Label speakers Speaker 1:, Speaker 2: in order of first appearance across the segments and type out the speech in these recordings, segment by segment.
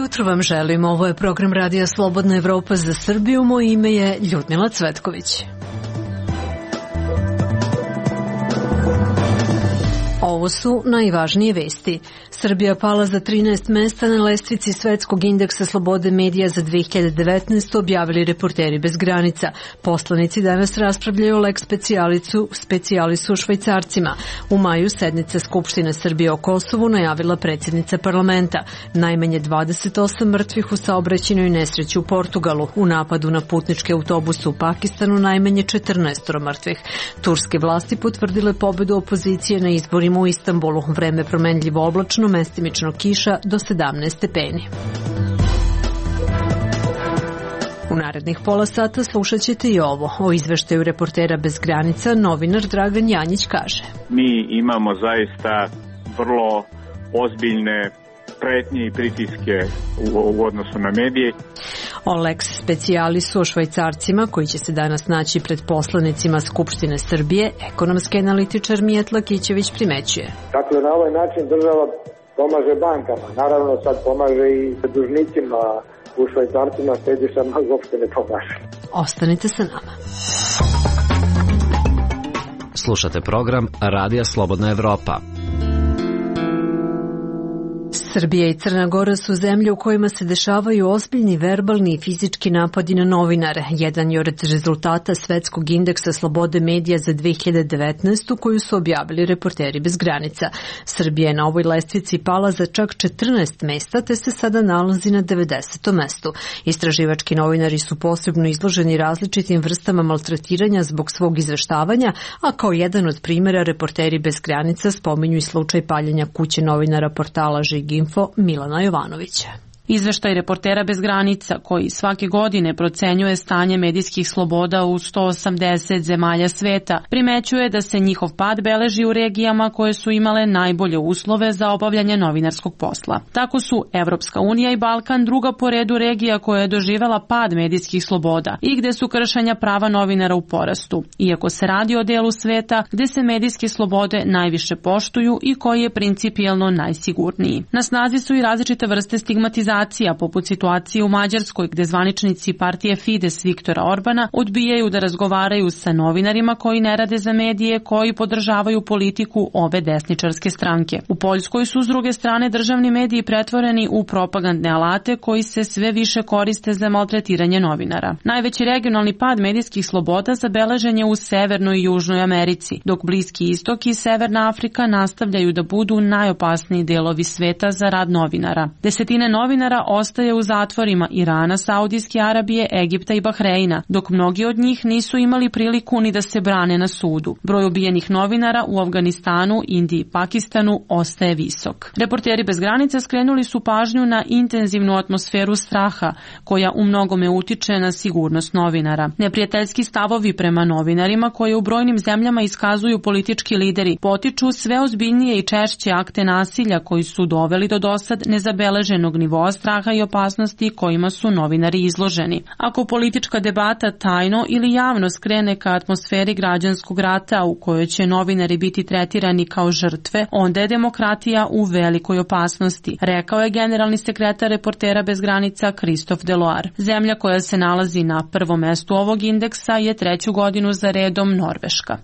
Speaker 1: jutro vam želim. Ovo je program Radija Slobodna Evropa za Srbiju. Moje ime je Ljudmila Cvetković. Ovo su najvažnije vesti. Srbija pala za 13 mesta na lestvici Svetskog indeksa slobode medija za 2019, objavili Reporteri bez granica. Poslanici danas raspravljaju o lex specijalisu Švajcarcima. U maju sednica Skupštine Srbije o Kosovu najavila predsjednica parlamenta. Najmanje 28 mrtvih u saobraćajnoj nesreći u Portugalu. U napadu na putničke autobuse u Pakistanu najmanje 14 mrtvih. Turske vlasti potvrdile pobedu opozicije na izborima u Istanbulu. Vreme promenljivo oblačno, mestimično kiša do 17 stepeni. U narednih pola sata slušat ćete i ovo. O izveštaju Reportera bez granica novinar Dragan Janjić kaže:
Speaker 2: Mi imamo zaista vrlo ozbiljne pretnje i pritiske u odnosu na medije.
Speaker 1: O lex specijalisu o Švajcarcima, koji će se danas naći pred poslanicima Skupštine Srbije, ekonomski analitičar Mijetla Kićević primećuje.
Speaker 3: Dakle, na ovaj način država pomaže bankama, naravno sad pomaže i dužnicima, u Švajcarcima štedišama uopšte ne pomaže.
Speaker 1: Ostanite sa nama.
Speaker 4: Slušate program Radija Slobodna Evropa.
Speaker 1: Srbija i Crna Gora su zemlje u kojima se dešavaju ozbiljni verbalni i fizički napadi na novinare. Jedan je od rezultata Svetskog indeksa slobode medija za 2019. koju su objavili Reporteri bez granica. Srbija je na ovoj lestvici pala za čak 14 mesta, te se sada nalazi na 90. mestu. Istraživački novinari su posebno izloženi različitim vrstama maltretiranja zbog svog izveštavanja, a kao jedan od primjera Reporteri bez granica spominju i slučaj paljenja kuće novinara portala Žiginfo Milana Jovanovića.
Speaker 5: Izveštaj Reportera bez granica, koji svake godine procenjuje stanje medijskih sloboda u 180 zemalja sveta, primećuje da se njihov pad beleži u regijama koje su imale najbolje uslove za obavljanje novinarskog posla. Tako su Evropska unija i Balkan druga po redu regija koja je doživela pad medijskih sloboda i gde su kršenja prava novinara u porastu, iako se radi o delu sveta gde se medijske slobode najviše poštuju i koji je principijelno najsigurniji. Na snazi su i različite vrste stigmatizacije, poput situacije u Mađarskoj gde zvaničnici partije Fides Viktora Orbana odbijaju da razgovaraju sa novinarima koji ne rade za medije koji podržavaju politiku ove desničarske stranke. U Poljskoj su s druge strane državni mediji pretvoreni u propagandne alate koji se sve više koriste za maltretiranje novinara. Najveći regionalni pad medijskih sloboda zabeležen je u Severnoj i Južnoj Americi, dok Bliski istok i Severna Afrika nastavljaju da budu najopasniji delovi sveta za rad novinara. Desetine novinara ostaje u zatvorima Irana, Saudijske Arabije, Egipta i Bahreina, dok mnogi od njih nisu imali priliku ni da se brane na sudu. Broj ubijenih novinara u Afganistanu, Indiji i Pakistanu ostaje visok. Reporteri bez granica skrenuli su pažnju na intenzivnu atmosferu straha, koja u mnogome utiče na sigurnost novinara. Neprijateljski stavovi prema novinarima, koje u brojnim zemljama iskazuju politički lideri, potiču sve ozbiljnije i češće akte nasilja koji su doveli do dosad nezabeleženog nivoa straha i opasnosti kojima su novinari izloženi. Ako politička debata tajno ili javno skrene ka atmosferi građanskog rata u kojoj će novinari biti tretirani kao žrtve, onda je demokratija u velikoj opasnosti, rekao je generalni sekretar Reportera bez granica Christophe Deloire. Zemlja koja se nalazi na prvom mestu ovog indeksa je 3. godinu za redom Norveška.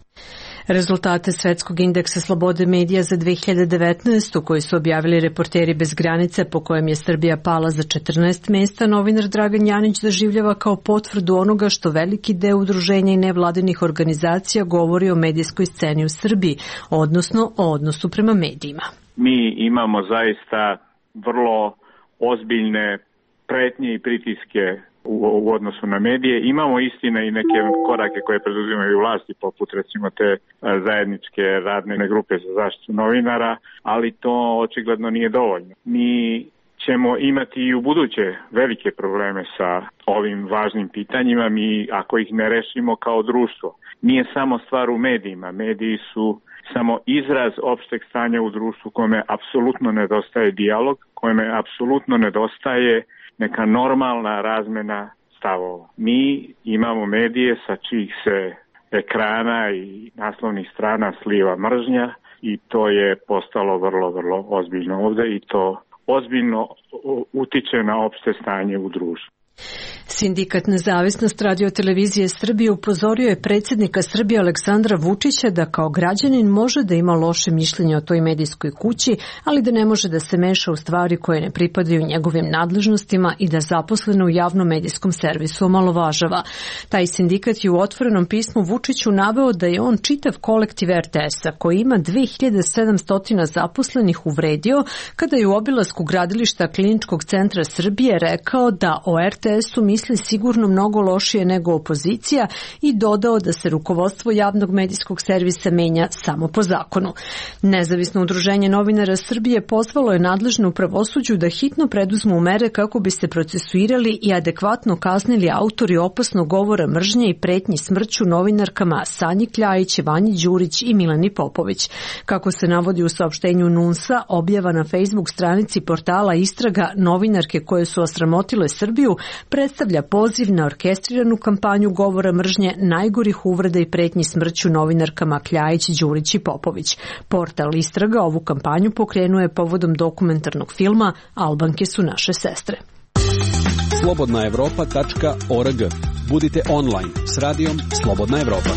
Speaker 1: Rezultate Svetskog indeksa slobode medija za 2019. koji su objavili Reporteri bez granice, po kojem je Srbija pala za 14 mesta, novinar Dragan Janjić doživljava kao potvrdu onoga što veliki deo udruženja i nevladinih organizacija govori o medijskoj sceni u Srbiji, odnosno o odnosu prema medijima.
Speaker 2: Mi imamo zaista vrlo ozbiljne pretnje i pritiske u odnosu na medije. Imamo istina i neke korake koje preduzimaju vlasti, poput recimo te zajedničke radne grupe za zaštitu novinara, ali to očigledno nije dovoljno. Mi ćemo imati i u buduće velike probleme sa ovim važnim pitanjima, mi ako ih ne rešimo kao društvo. Nije samo stvar u medijima, mediji su samo izraz opšteg stanja u društvu kome apsolutno nedostaje dijalog, kome apsolutno nedostaje neka normalna razmena stavova. Mi imamo medije sa čijih se ekrana i naslovnih strana sliva mržnja i to je postalo vrlo ozbiljno ovde i to ozbiljno utiče na opšte stanje u društvu.
Speaker 1: Sindikat Nezavisnost Radio-televizije Srbije upozorio je predsjednika Srbije Aleksandra Vučića da kao građanin može da ima loše mišljenje o toj medijskoj kući, ali da ne može da se meša u stvari koje ne pripadaju njegovim nadležnostima i da zaposlene u javnom medijskom servisu omalovažava. Taj sindikat je u otvorenom pismu Vučiću naveo da je on čitav kolektiv RTS-a, koji ima 2700 zaposlenih, uvredio kada je u obilasku gradilišta Kliničkog centra Srbije rekao da o RTS-u misli sigurno mnogo lošije nego opozicija i dodao da se rukovodstvo javnog medijskog servisa menja samo po zakonu. Nezavisno udruženje novinara Srbije pozvalo je nadležno u pravosuđu da hitno preduzmu mere kako bi se procesuirali i adekvatno kaznili autori opasnog govora mržnje i pretnji smrću novinarkama Sanji Kljajić, Vanji Đurić i Milani Popović. Kako se navodi u saopštenju NUNS-a, objava na Facebook stranici portala Istraga novinarke koje su osramotile Srbiju predstavlja poziv na orkestriranu kampanju govora mržnje, najgorih uvreda i pretnji smrću novinarkama Kljajić, Đurić i Popović. Portal Istraga ovu kampanju pokrenuo je povodom dokumentarnog filma Albanke su naše sestre.
Speaker 6: Slobodnaevropa.org. Budite online s radijom Slobodna Evropa.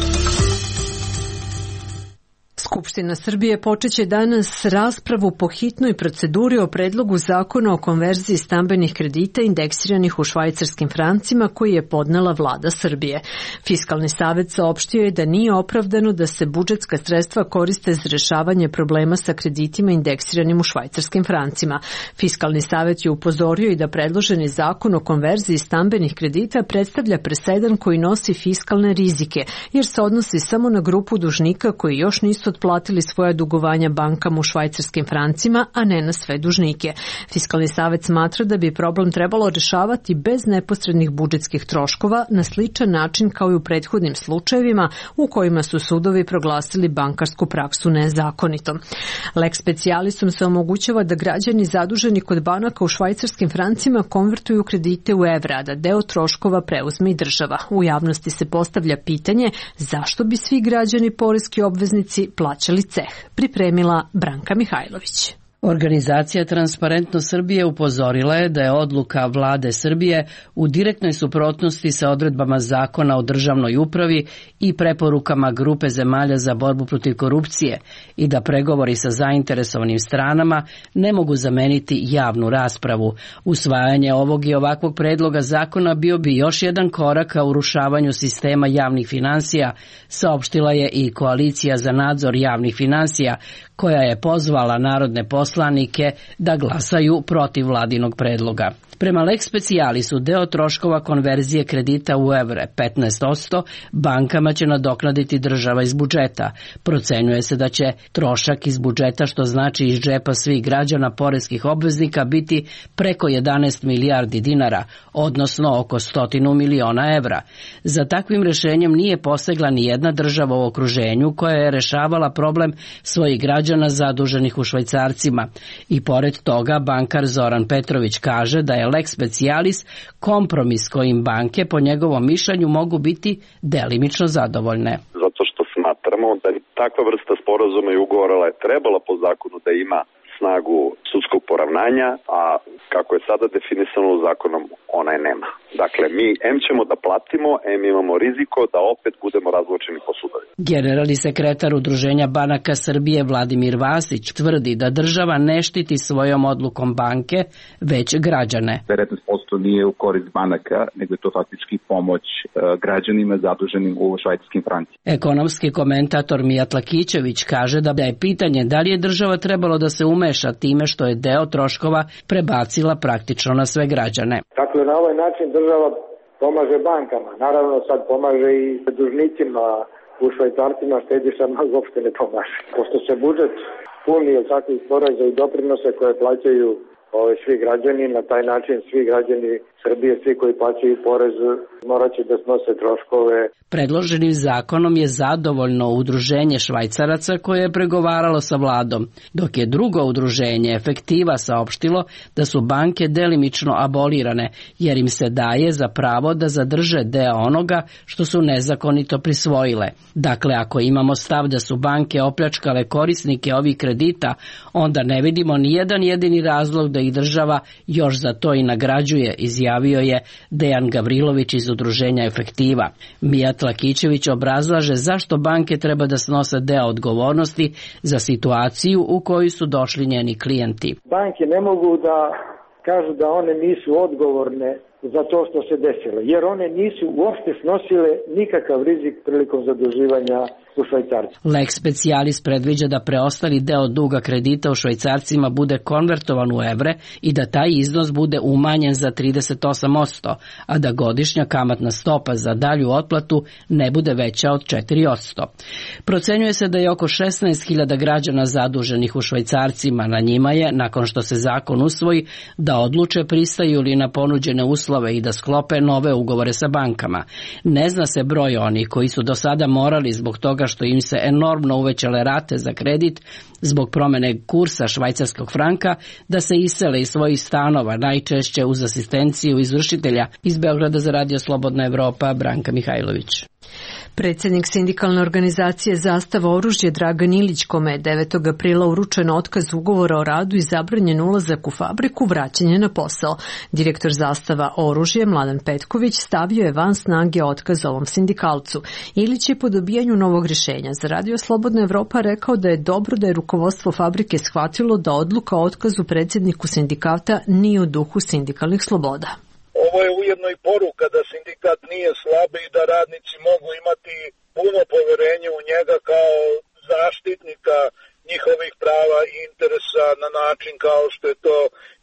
Speaker 1: Skupština Srbije počeće danas raspravu po hitnoj proceduri o predlogu zakona o konverziji stambenih kredita indeksiranih u švajcarskim francima koji je podnela vlada Srbije. Fiskalni savet saopštio je da nije opravdano da se budžetska sredstva koriste za rešavanje problema sa kreditima indeksiranim u švajcarskim francima. Fiskalni savet je upozorio i da predloženi zakon o konverziji stambenih kredita predstavlja presedan koji nosi fiskalne rizike, jer se odnosi samo na grupu dužnika koji još nisu otplatili svoja dugovanja bankama u švajcarskim francima, a ne na sve dužnike. Fiskalni savet smatra da bi problem trebalo rešavati bez neposrednih budžetskih troškova na sličan način kao i u prethodnim slučajevima u kojima su sudovi proglasili bankarsku praksu nezakonitom. Lex specialisom se omogućava da građani zaduženi kod banaka u švajcarskim francima konvertuju kredite u evra, da deo troškova preuzme i država. U javnosti se postavlja pitanje zašto bi svi građani poreski obveznici plaćali ceh. Pripremila Branka Mihajlović.
Speaker 7: Organizacija Transparentno Srbije upozorila je da je odluka vlade Srbije u direktnoj suprotnosti sa odredbama Zakona o državnoj upravi i preporukama grupe zemalja za borbu protiv korupcije i da pregovori sa zainteresovanim stranama ne mogu zameniti javnu raspravu. Usvajanje ovog i ovakvog predloga zakona bio bi još jedan korak ka urušavanju sistema javnih finansija, saopštila je i Koalicija za nadzor javnih finansija, koja je pozvala narodne poslanike da glasaju protiv vladinog predloga. Prema Lex Specialisu deo troškova konverzije kredita u evre, 15%, bankama će nadoknaditi država iz budžeta. Procenjuje se da će trošak iz budžeta, što znači iz džepa svih građana poreskih obveznika, biti preko 11 milijardi dinara, odnosno oko 100 miliona evra. Za takvim rešenjem nije posegla ni jedna država u okruženju koja je rešavala problem svojih građana zaduženih u švajcarcima. I pored toga, bankar Zoran Petrović kaže da je Lex Specialis kompromis kojim banke po njegovom mišljenju mogu biti delimično zadovoljne.
Speaker 8: Zato što smatramo da takva vrsta sporazuma i ugovora je trebala po zakonu da ima snagu sudskog poravnanja, a kako je sada definisano zakonom, ona je nema. Dakle, mi ćemo da platimo, imamo riziko da opet budemo razvučeni po sudovima.
Speaker 7: Generalni sekretar Udruženja banaka Srbije Vladimir Vasić tvrdi da država ne štiti svojom odlukom banke, već građane.
Speaker 9: 19% nije u korist banaka, nego je to faktički pomoć građanima zaduženim u švajcarskim francima.
Speaker 7: Ekonomski komentator Mijat Lakićević kaže da je pitanje da li je država trebalo da se umeša time što je deo troškova prebacila praktično na sve građane.
Speaker 3: Dakle, na ovaj način država pomaže bankama, naravno sad pomaže i dužnicima u švajcarcima, štedišama uopšte ne pomaže. Pošto se budžet puni od takvih poreza i doprinose koje plaćaju svi građani, na taj način svi građani Srbije, svi koji plaćaju porez, morat će da snose troškove.
Speaker 7: Predloženim zakonom je zadovoljno udruženje Švajcaraca koje je pregovaralo sa vladom, dok je drugo udruženje Efektiva saopštilo da su banke delimično abolirane, jer im se daje za pravo da zadrže deo onoga što su nezakonito prisvojile. Dakle, ako imamo stav da su banke opljačkale korisnike ovih kredita, onda ne vidimo ni jedan jedini razlog da ih država još za to i nagrađuje, izjavio je Dejan Gavrilović iz udruženja Efektiva. Mijat Lakićević obrazlaže zašto banke treba da snose deo odgovornosti za situaciju u koju su došli njeni klijenti.
Speaker 3: Banke ne mogu da kažu da one nisu odgovorne za to što se desilo, jer one nisu uopšte snosile nikakav rizik prilikom zaduživanja u švajcarcima.
Speaker 7: Lex specialis predviđa da preostali deo duga kredita u švajcarcima bude konvertovan u evre i da taj iznos bude umanjen za 38%, a da godišnja kamatna stopa za dalju otplatu ne bude veća od 4%. Procenjuje se da je oko 16.000 građana zaduženih u švajcarcima. Na njima je, nakon što se zakon usvoji, da odluče pristaju li na ponuđene uslove i da sklope nove ugovore sa bankama. Ne zna se broj onih koji su do sada morali zbog toga što im se enormno uvećale rate za kredit zbog promene kursa švajcarskog franka da se isele iz svojih stanova, najčešće uz asistenciju izvršitelja. Iz Beograda za Radio Slobodna Evropa, Branka Mihajlović.
Speaker 1: Predsjednik sindikalne organizacije Zastava oružje Dragan Ilić, kome je 9. aprila uručen otkaz ugovora o radu i zabranjen ulazak u fabriku, vraćen je na posao. Direktor Zastava oružje Mladen Petković stavio je van snage otkaz ovom sindikalcu. Ilić je po dobijanju novog rješenja za Radio Slobodna Evropa rekao da je dobro da je rukovodstvo fabrike shvatilo da odluka o otkazu predsjedniku sindikata nije u duhu sindikalnih sloboda.
Speaker 10: Ovo je ujedno i poruka da sindikat nije slab i da radnici mogu imati puno poverenje u njega kao zaštitnika njihovih prava i interesa na način kao što je to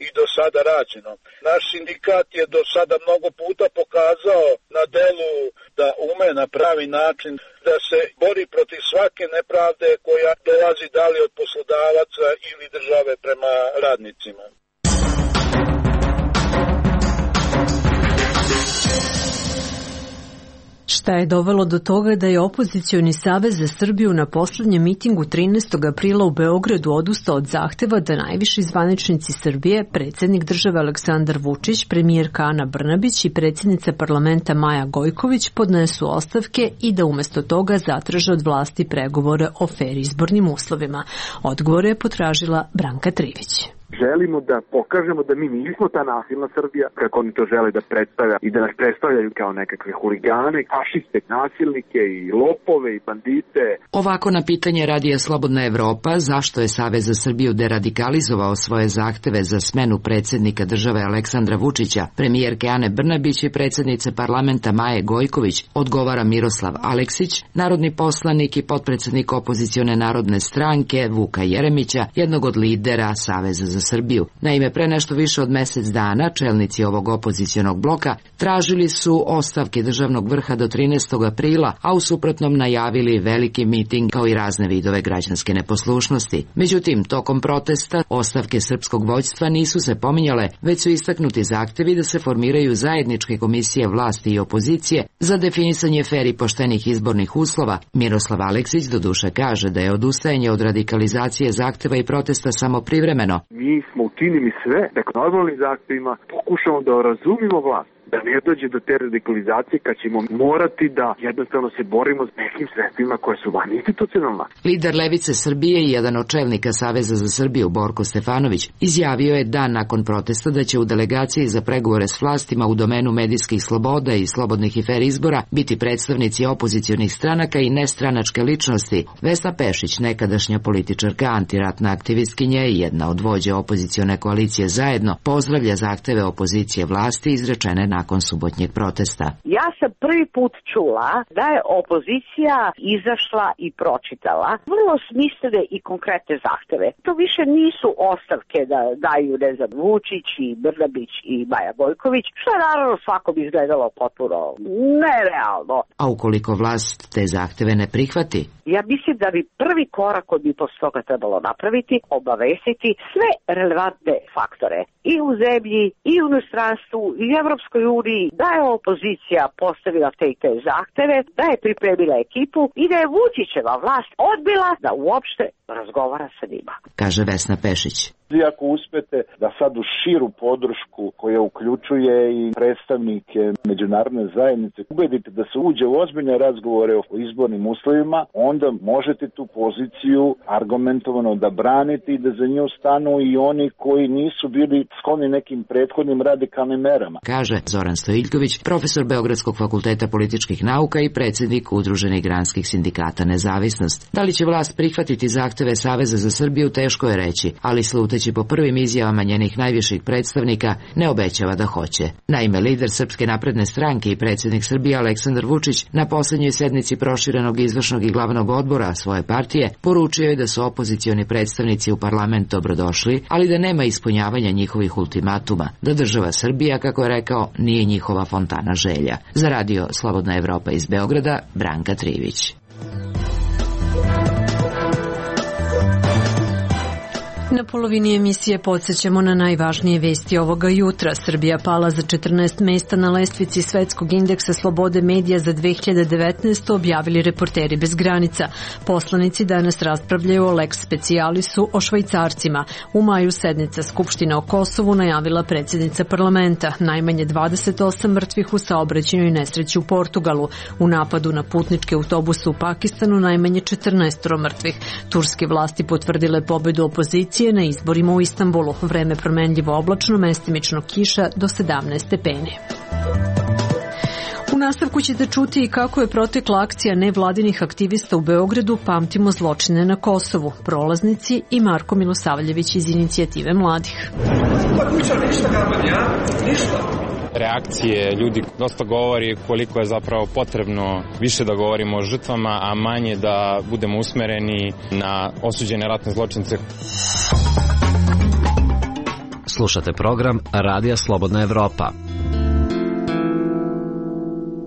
Speaker 10: i do sada rađeno. Naš sindikat je do sada mnogo puta pokazao na delu da ume na pravi način da se bori protiv svake nepravde koja dolazi da li od poslodavaca ili države prema radnicima.
Speaker 1: Šta je dovelo do toga da je opozicioni savez za Srbiju na poslednjem mitingu 13. aprila u Beogradu odustao od zahteva da najviši zvaničnici Srbije, predsjednik države Aleksandar Vučić, premijerka Ana Brnabić i predsjednica parlamenta Maja Gojković podnesu ostavke i da umjesto toga zatraže od vlasti pregovore o fer izbornim uslovima. Odgovor je potražila Branka Trivić.
Speaker 11: Želimo da pokažemo da mi nismo ta nasilna Srbija, kako oni to žele da predstavlja i da nas predstavljaju kao nekakve huligane, fašiste, nasilnike i lopove i bandite.
Speaker 12: Ovako na pitanje Radija Slobodna Evropa zašto je Savez za Srbiju deradikalizovao svoje zahteve za smenu predsjednika države Aleksandra Vučića, premijerke Ane Brnabić i predsjednice parlamenta Maje Gojković, odgovara Miroslav Aleksić, narodni poslanik i potpredsjednik opozicione narodne stranke Vuka Jeremića, jednog od lidera Saveza za Srbiju. Naime, pre nešto više od mjesec dana čelnici ovog opozicionog bloka tražili su ostavke državnog vrha do 13. aprila, a u suprotnom najavili veliki miting kao i razne vidove građanske neposlušnosti. Međutim, tokom protesta ostavke srpskog vođstva nisu se pominjale, već su istaknuti zahtevi da se formiraju zajedničke komisije vlasti i opozicije za definisanje fer i poštenih izbornih uslova. Miroslav Aleksić doduše kaže da je odustajanje od radikalizacije zahteva i protesta samo privremeno.
Speaker 11: Mi smo učinili sve da normalnim zahtevima pokušamo da razumimo vlast, da ne dođe do te radikalizacije kad ćemo morati da jednostavno se borimo s nekim sredstvima koje su van institucionalna.
Speaker 12: Lider Levice Srbije i jedan od čelnika Saveza za Srbiju, Borko Stefanović, izjavio je dan nakon protesta da će u delegaciji za pregovore s vlastima u domenu medijskih sloboda i slobodnih i fer izbora biti predstavnici opozicionih stranaka i nestranačke ličnosti. Vesna Pešić, nekadašnja političarka, antiratna aktivistkinja i jedna od vođa opozicione koalicije Zajedno, pozdravlja zahteve opozicije vlasti izrečene nakon subotnjeg protesta.
Speaker 13: Ja sam prvi put čula da je opozicija izašla i pročitala vrlo smislene i konkretne zahteve. To više nisu ostavke da daju, ne znam, Vučić i Brnabić i Maja Gojković, što je naravno svakom izgledalo potpuno nerealno.
Speaker 12: A ukoliko vlast te zahteve ne prihvati?
Speaker 13: Ja mislim da bi prvi korak koji bi posle toga trebalo napraviti, obavestiti sve relevantne faktore i u zemlji, i u inostranstvu, i u Evropskoj proceduri, da je opozicija postavila te zahteve, da je pripremila ekipu i da je Vučićeva vlast odbila da uopšte razgovara sa njima.
Speaker 12: Kaže Vesna Pešić.
Speaker 14: Ako uspete da sad u širu podršku koja uključuje i predstavnike međunarodne zajednice ubedite da se uđe u ozbiljne razgovore o izbornim uslovima, onda možete tu poziciju argumentovano da branite i da za nju stanu i oni koji nisu bili skloni nekim prethodnim radikalnim merama.
Speaker 12: Kaže Zoran Stojiljković, profesor Beogradskog fakulteta političkih nauka i predsjednik Udruženih granskih sindikata Nezavisnost. Da li će vlast prihvatiti zahteve Saveza za Srbiju, teško je reći, ali sluteći po prvim izjavama njenih najviših predstavnika, ne obećava da hoće. Naime, lider Srpske napredne stranke i predsjednik Srbije Aleksandar Vučić na poslednjoj sednici proširenog izvršnog i glavnog odbora svoje partije poručio je da su opozicioni predstavnici u parlament dobrodošli, ali da nema ispunjavanja njihovih ultimatuma, da država Srbija, kako je rekao, nije njihova fontana želja. Za radio Slobodna Evropa iz Beograda, Branka Trivić.
Speaker 1: Na polovini emisije podsjećamo na najvažnije vesti ovoga jutra. Srbija pala za 14 mesta na lestvici Svetskog indeksa slobode medija za 2019. objavili Reporteri bez granica. Poslanici danas raspravljaju o lex specialisu o Švajcarcima. U maju sednica Skupštine o Kosovu najavila predsjednica parlamenta. Najmanje 28 mrtvih u saobraćajnoj nesreći u Portugalu. U napadu na putničke autobuse u Pakistanu najmanje 14 mrtvih. Turske vlasti potvrdile pobedu opozicije na izborima u Istanbulu. Vreme promenljivo oblačno, mestimično kiša do 17 stepeni. U nastavku ćete čuti i kako je protekla akcija nevladinih aktivista u Beogradu Pamtimo zločine na Kosovu, prolaznici i Marko Milosavljević iz Inicijative mladih.
Speaker 15: Reakcije ljudi dosta govori koliko je zapravo potrebno više da govorimo o žrtvama, a manje da budemo usmereni na osuđene ratne zločince.
Speaker 4: Slušate program Radija Slobodna Evropa.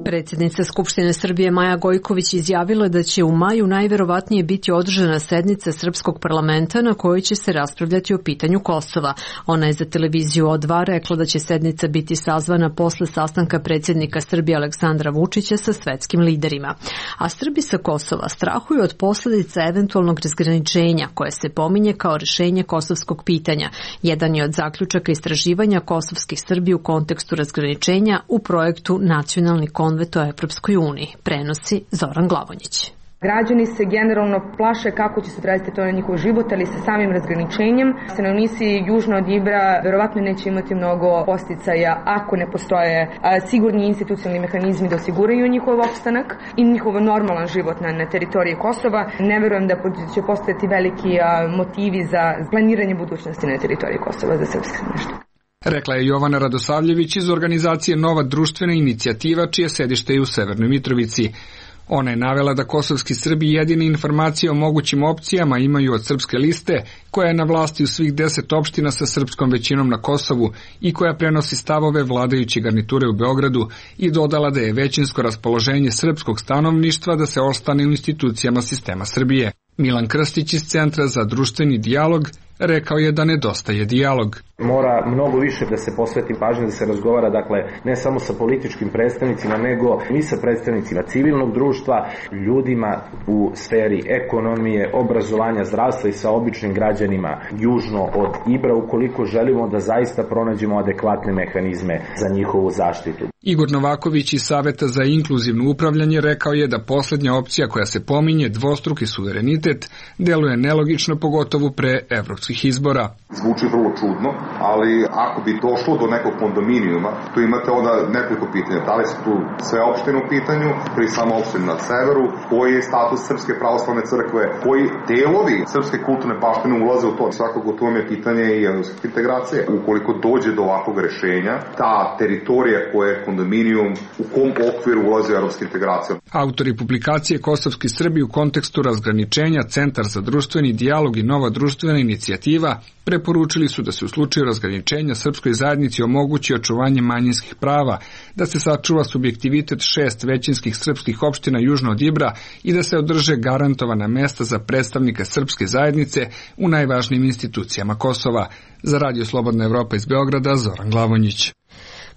Speaker 1: Predsjednica Skupštine Srbije Maja Gojković izjavila da će u maju najverovatnije biti održana sednica Srpskog parlamenta na kojoj će se raspravljati o pitanju Kosova. Ona je za televiziju O2 rekla da će sednica biti sazvana posle sastanka predsjednika Srbije Aleksandra Vučića sa svetskim liderima. A Srbi sa Kosova strahuju od posljedica eventualnog razgraničenja koje se pominje kao rešenje kosovskog pitanja. Jedan je od zaključaka istraživanja kosovskih Srbi u kontekstu razgraničenja u projektu Nacionalni konvent o Evropskoj uniji, prenosi Zoran Glavonjić.
Speaker 16: Građani se generalno plaše kako će se odraziti to na njihov život, ali sa samim razgraničenjem stanovnici južno od Ibra verovatno neće imati mnogo posticaja ako ne postoje sigurni institucionalni mehanizmi da osiguraju njihov opstanak i njihov normalan život na teritoriji Kosova. Ne verujem da će postojati veliki motivi za planiranje budućnosti na teritoriji Kosova za srpske stanovništvo.
Speaker 17: Rekla je Jovana Radosavljević iz organizacije Nova društvena inicijativa, čije sedište je u Severnoj Mitrovici. Ona je navela da kosovski Srbi jedine informacije o mogućim opcijama imaju od Srpske liste, koja je na vlasti u svih 10 opština sa srpskom većinom na Kosovu i koja prenosi stavove vladajuće garniture u Beogradu, i dodala da je većinsko raspoloženje srpskog stanovništva da se ostane u institucijama sistema Srbije. Milan Krstić iz Centra za društveni dijalog rekao je da nedostaje dijalog.
Speaker 18: Mora mnogo više da se posveti pažnje, da se razgovara, dakle, ne samo sa političkim predstavnicima, nego i sa predstavnicima civilnog društva, ljudima u sferi ekonomije, obrazovanja, zdravstva i sa običnim građanima južno od Ibra, ukoliko želimo da zaista pronađemo adekvatne mehanizme za njihovu zaštitu.
Speaker 17: Igor Novaković iz Saveta za inkluzivno upravljanje rekao je da poslednja opcija koja se pominje, dvostruki suverenitet, deluje nelogično, pogotovo pre evropskih izbora.
Speaker 19: Zvuči vrlo čudno, ali ako bi došlo do nekog kondominijuma, tu imate onda nekoliko pitanja. Da li su tu sve opštine u pitanju, ili samo opštine na severu, koji je status Srpske pravoslavne crkve, koji delovi srpske kulturne baštine ulaze u to. Svakako to je pitanje i evropskih integracije. Ukoliko dođe do ovakvog rešenja, ta teritorija koja je kondominijum, u kom okviru ulaze u evropske integracije.
Speaker 17: Autori publikacije Kosovski Srbi u kontekstu razgraničenja, Centar za društveni dijalog i Nova društvena inicijativa preporučili su da se u slučaju razgraničenja srpskoj zajednici omogući očuvanje manjinskih prava, da se sačuva subjektivitet 6 većinskih srpskih opština južno od Ibra i da se održe garantovana mesta za predstavnike srpske zajednice u najvažnijim institucijama Kosova. Za Radio Slobodna Evropa iz Beograda, Zoran Glavonjić.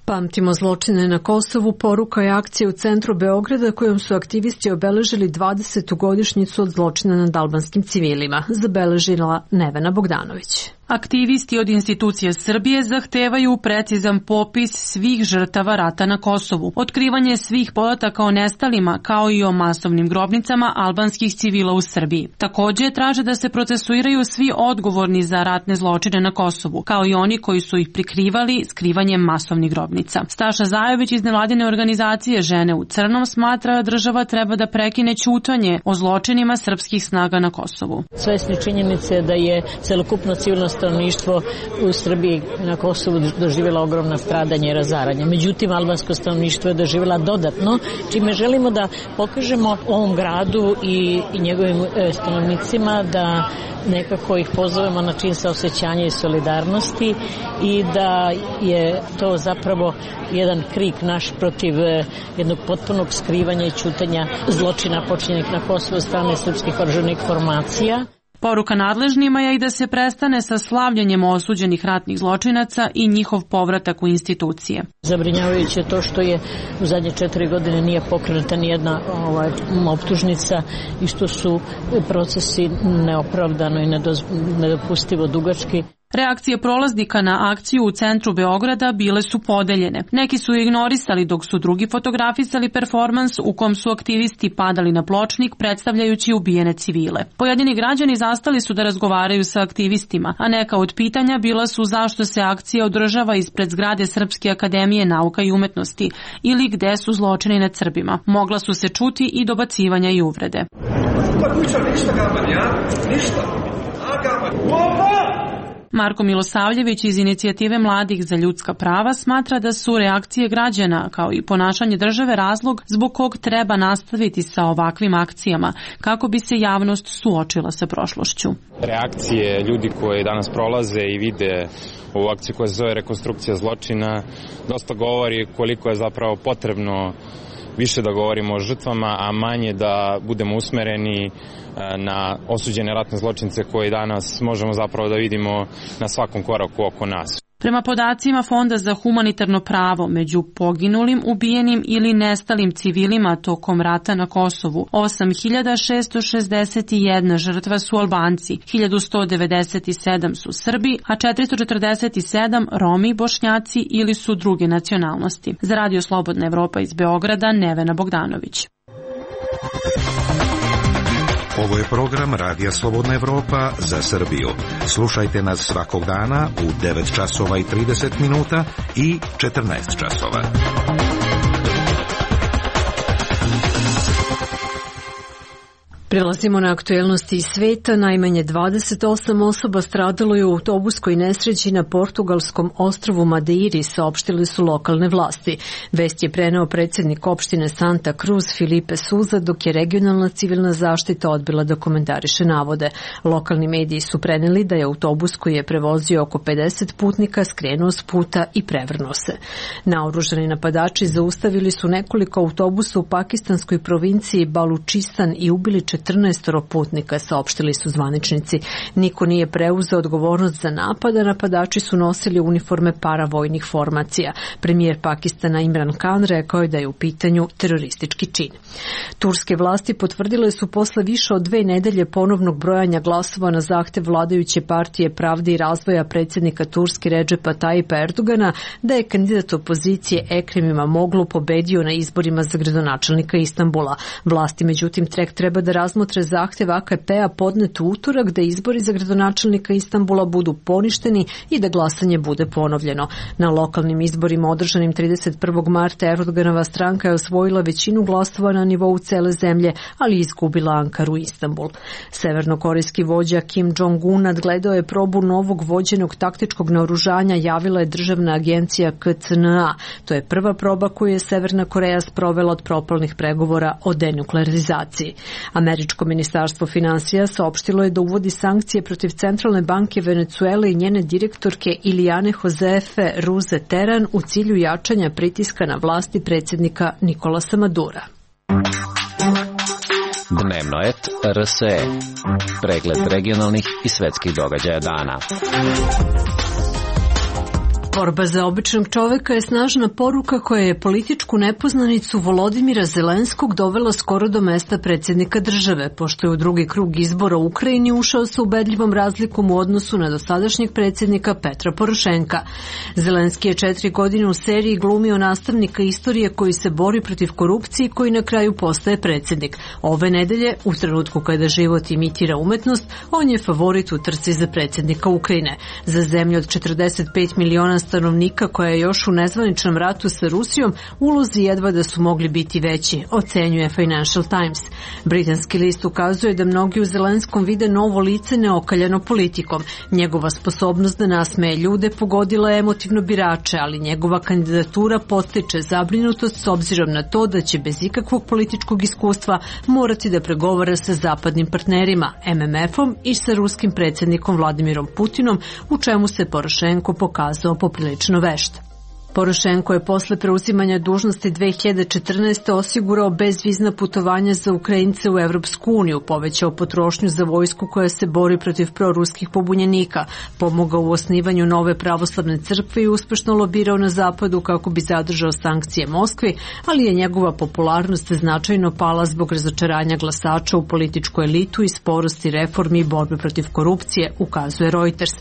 Speaker 1: Pamtimo zločine na Kosovu, poruka je akcija u centru Beograda kojom su aktivisti obeležili 20. godišnjicu od zločina nad albanskim civilima, zabeležila Nevena Bogdanović.
Speaker 5: Aktivisti od institucije Srbije zahtevaju precizan popis svih žrtava rata na Kosovu, otkrivanje svih podataka o nestalima kao i o masovnim grobnicama albanskih civila u Srbiji. Takođe traže da se procesuiraju svi odgovorni za ratne zločine na Kosovu, kao i oni koji su ih prikrivali skrivanjem masovnih grobnica. Staša Zajović iz nevladine organizacije Žene u crnom smatra da država treba da prekine ćutanje o zločinima srpskih snaga na Kosovu.
Speaker 20: Svesni činjenice da je celokupno civilno stanovništvo u Srbiji na Kosovu doživjela ogromna stradanja i razaranja. Međutim, albansko stanovništvo je doživjela dodatno, čime želimo da pokažemo ovom gradu i njegovim stanovnicima da nekako ih pozovemo na čin saosećanja i solidarnosti i da je to zapravo jedan krik naš protiv jednog potpunog skrivanja i ćutanja zločina počinjenih na Kosovu od strane srpskih oružanih formacija.
Speaker 5: Poruka nadležnima je i da se prestane sa slavljenjem osuđenih ratnih zločinaca i njihov povratak u institucije.
Speaker 20: Zabrinjavajuće je to što je u zadnje 4 godine nije pokrenuta nijedna optužnica i što su procesi neopravdano i nedopustivo dugački.
Speaker 5: Reakcije prolaznika na akciju u centru Beograda bile su podeljene. Neki su ignorisali dok su drugi fotografisali performans u kom su aktivisti padali na pločnik predstavljajući ubijene civile. Pojedini građani zastali su da razgovaraju sa aktivistima, a neka od pitanja bila su zašto se akcija održava ispred zgrade Srpske akademije nauka i umetnosti ili gde su zločini nad Srbima. Mogla su se čuti i dobacivanja i uvrede. Marko Milosavljević iz Inicijative mladih za ljudska prava smatra da su reakcije građana kao i ponašanje države razlog zbog kog treba nastaviti sa ovakvim akcijama kako bi se javnost suočila sa prošlošću.
Speaker 15: Reakcije ljudi koji danas prolaze i vide ovu akciju koja se zove rekonstrukcija zločina dosta govori koliko je zapravo potrebno više da govorimo o žrtvama, a manje da budemo usmereni na osuđene ratne zločince koje danas možemo zapravo da vidimo na svakom koraku oko nas.
Speaker 5: Prema podacima Fonda za humanitarno pravo, među poginulim, ubijenim ili nestalim civilima tokom rata na Kosovu, 8.661 žrtva su Albanci, 1.197 su Srbi, a 447 Romi, Bošnjaci ili su druge nacionalnosti. Za Radio Slobodna Evropa iz Beograda, Nevena Bogdanović.
Speaker 21: Ovo je program Radija Slobodna Evropa za Srbiju. Slušajte nas svakog dana u 9 časova i 30 minuta i 14 časova.
Speaker 1: Prelazimo na aktuelnosti iz sveta. Najmanje 28 osoba stradalo je u autobuskoj nesreći na portugalskom ostrvu Madeiri, saopštili su lokalne vlasti. Vest je preneo predsjednik opštine Santa Cruz Filipe Souza, dok je regionalna civilna zaštita odbila da komentariše navode. Lokalni mediji su preneli da je autobus koji je prevozio oko 50 putnika skrenuo s puta i prevrnuo se. Naoružani napadači zaustavili su nekoliko autobusa u pakistanskoj provinciji Balučistan i ubili 14 putnika, saopštili su zvaničnici. Niko nije preuzeo odgovornost za napad, a napadači su nosili uniforme paravojnih formacija. Premijer Pakistana Imran Khan rekao je da je u pitanju teroristički čin. Turske vlasti potvrdile su posle više od 2 nedelje ponovnog brojanja glasova na zahtev vladajuće partije Pravde i razvoja predsjednika Turske Redžepa Tayyipa Erdogana da je kandidat opozicije Ekrem İmamoğlu pobedio na izborima za gradonačelnika Istanbula. Vlasti međutim treba da razmotre zahtev AKP-a podnet u utorak da izbori za gradonačelnika Istanbula budu poništeni i da glasanje bude ponovljeno. Na lokalnim izborima održanim 31. marta Erdoganova stranka je osvojila većinu glasova na nivou cele zemlje, ali izgubila Ankaru i Istanbul. Severnokorejski vođa Kim Jong-un nadgledao je probu novog vođenog taktičkog naoružanja, javila je državna agencija KCNA. To je prva proba koju je Severna Koreja sprovela od propalnih pregovora o denuklearizaciji. Američko ministarstvo finansija saopštilo je da uvodi sankcije protiv Centralne banke Venecuele i njene direktorke Ilijane Josefe Ruze Teran u cilju jačanja pritiska na vlasti predsjednika Nikolasa Madura.
Speaker 4: Dnevnoet RSE. Pregled regionalnih i svetskih događaja dana.
Speaker 1: Borba za običnog čoveka je snažna poruka koja je političku nepoznanicu Volodimira Zelenskog dovela skoro do mesta predsjednika države, pošto je u drugi krug izbora u Ukrajini ušao sa ubedljivom razlikom u odnosu na dosadašnjeg predsjednika Petra Porošenka. Zelenski je 4 godine u seriji glumio nastavnika istorije koji se bori protiv korupcije i koji na kraju postaje predsjednik. Ove nedelje, u trenutku kada život imitira umetnost, on je favorit u trci za predsjednika Ukrajine. Za zemlju od 45 miliona stanovnika koja je još u nezvaničnom ratu sa Rusijom, ulozi jedva da su mogli biti veći, ocenjuje Financial Times. Britanski list ukazuje da mnogi u Zelenskom vide novo lice neokaljano politikom. Njegova sposobnost da nasmeje ljude pogodila je emotivno birače, ali njegova kandidatura podstiče zabrinutost s obzirom na to da će bez ikakvog političkog iskustva morati da pregovara sa zapadnim partnerima, MMF-om i sa ruskim predsjednikom Vladimirom Putinom, u čemu se Porošenko pokazao poprilično vešt. Porošenko je posle preuzimanja dužnosti 2014. osigurao bezvizna putovanja za Ukrajince u Evropsku uniju, povećao potrošnju za vojsku koja se bori protiv proruskih pobunjenika, pomogao u osnivanju nove pravoslavne crkve i uspešno lobirao na zapadu kako bi zadržao sankcije Moskvi, ali je njegova popularnost značajno pala zbog razočaranja glasača u političku elitu i sporosti reformi i borbe protiv korupcije, ukazuje Reuters.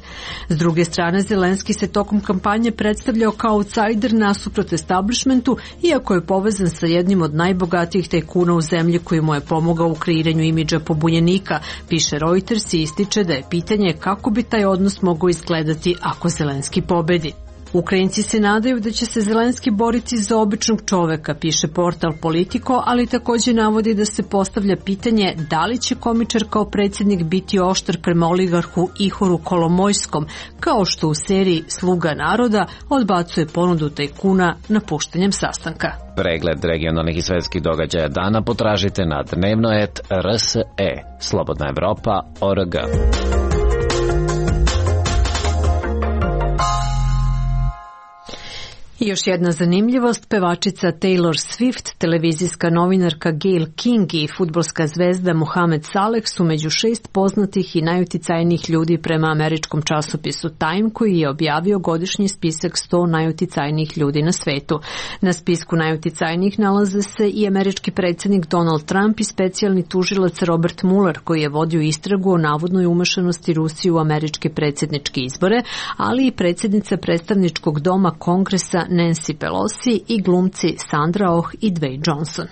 Speaker 1: S druge strane, Zelenski se tokom kampanje predstavljao kao outsider nasuprot establishmentu, iako je povezan sa jednim od najbogatijih tajkuna u zemlji koji mu je pomogao u kreiranju imidža pobunjenika, piše Reuters i ističe da je pitanje kako bi taj odnos mogao izgledati ako Zelenski pobedi. Ukrajinci se nadaju da će se Zelenski boriti za običnog čoveka, piše portal Politico, ali također navodi da se postavlja pitanje da li će komičar kao predsjednik biti oštar prema oligarhu Ihoru Kolomojskom, kao što u seriji Sluga naroda odbacuje ponudu tajkuna napuštanjem sastanka.
Speaker 4: Pregled regionalnih i svetskih događaja dana potražite na dnevno.rs.e. Slobodna Evropa.org.
Speaker 1: I još jedna zanimljivost, pevačica Taylor Swift, televizijska novinarka Gayle King i fudbalska zvezda Mohamed Saleh su među 6 poznatih i najuticajnijih ljudi prema američkom časopisu Time, koji je objavio godišnji spisak 100 najuticajnijih ljudi na svetu. Na spisku najuticajnijih nalaze se i američki predsjednik Donald Trump i specijalni tužilac Robert Mueller, koji je vodio istragu o navodnoj umešanosti Rusije u američke predsjedničke izbore, ali i predsjednica predstavničkog doma Kongresa Nancy Pelosi i glumci Sandra Oh i Dwayne Johnson.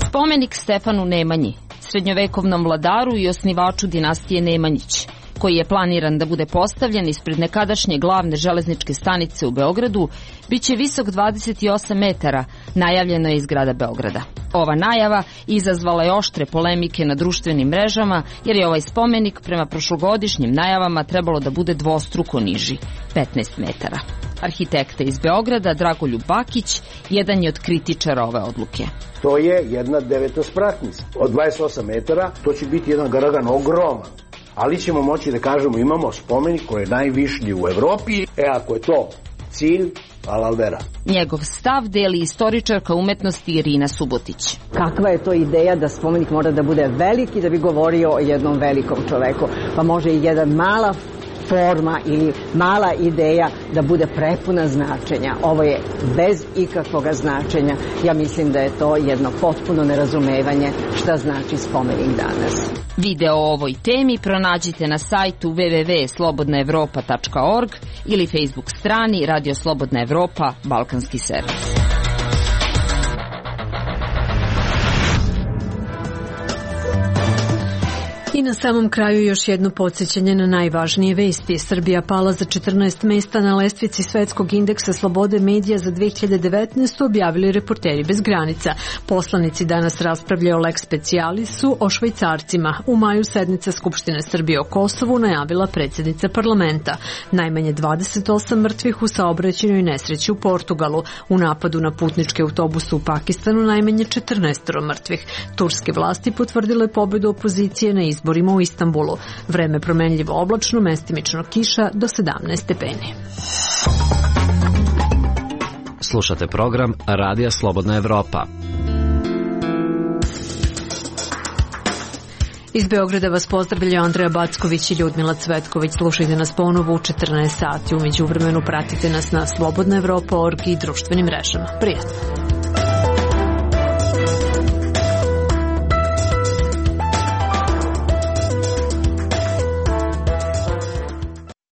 Speaker 2: Spomenik Stefanu Nemanji, srednjovekovnom vladaru i osnivaču dinastije Nemanjić, koji je planiran da bude postavljen ispred nekadašnje glavne železničke stanice u Beogradu, biće visok 28 metara, najavljeno je iz grada Beograda. Ova najava izazvala je oštre polemike na društvenim mrežama, jer je ovaj spomenik prema prošlogodišnjim najavama trebalo da bude dvostruko niži, 15 metara. Arhitekta iz Beograda, Dragoljub Bakić, jedan je od kritičara ove odluke.
Speaker 22: To je jedna devetospratnica od 28 metara, to će biti jedan garagan ogroman. Ali ćemo moći da kažemo imamo spomenik koji je najvišlji u Evropi. Ako je to cilj, Alaldera.
Speaker 2: Njegov stav deli istoričarka umetnosti Irina Subotić.
Speaker 23: Kakva je to ideja da spomenik mora da bude veliki da bi govorio o jednom velikom čoveku? Pa može i jedan mala forma ili mala ideja da bude prepuna značenja. Ovo je bez ikakvog značenja. Ja mislim da je to jedno potpuno nerazumevanje šta znači spomenik danas.
Speaker 2: Video o ovoj temi pronađite na sajtu www.slobodnaevropa.org ili Facebook strani Radio Slobodna Evropa, Balkanski servis.
Speaker 1: I na samom kraju još jedno podsjećanje na najvažnije vesti. Srbija pala za 14 mesta na lestvici Svetskog indeksa slobode medija za 2019. objavili Reporteri bez granica. Poslanici danas raspravljaju o lex specialisu o Švajcarcima. U maju sednica Skupštine Srbije o Kosovu najavila predsjednica parlamenta. Najmanje 28 mrtvih u saobraćajnoj nesreći u Portugalu. U napadu na putničke autobuse u Pakistanu najmanje 14 mrtvih. Turske vlasti potvrdile pobedu opozicije na izborima u Istanbulu. Vreme promenljivo oblačno, mestimično kiša do 17 stepeni.
Speaker 4: Slušate program Radija Slobodna Evropa.
Speaker 1: Iz Beograda vas pozdravljaju Andreja Backović i Ljudmila Cvetković. Slušajte nas ponovo u 14 sati. U međuvremenu pratite nas na slobodnaevropa.org i društvenim mrežama. Prijatno.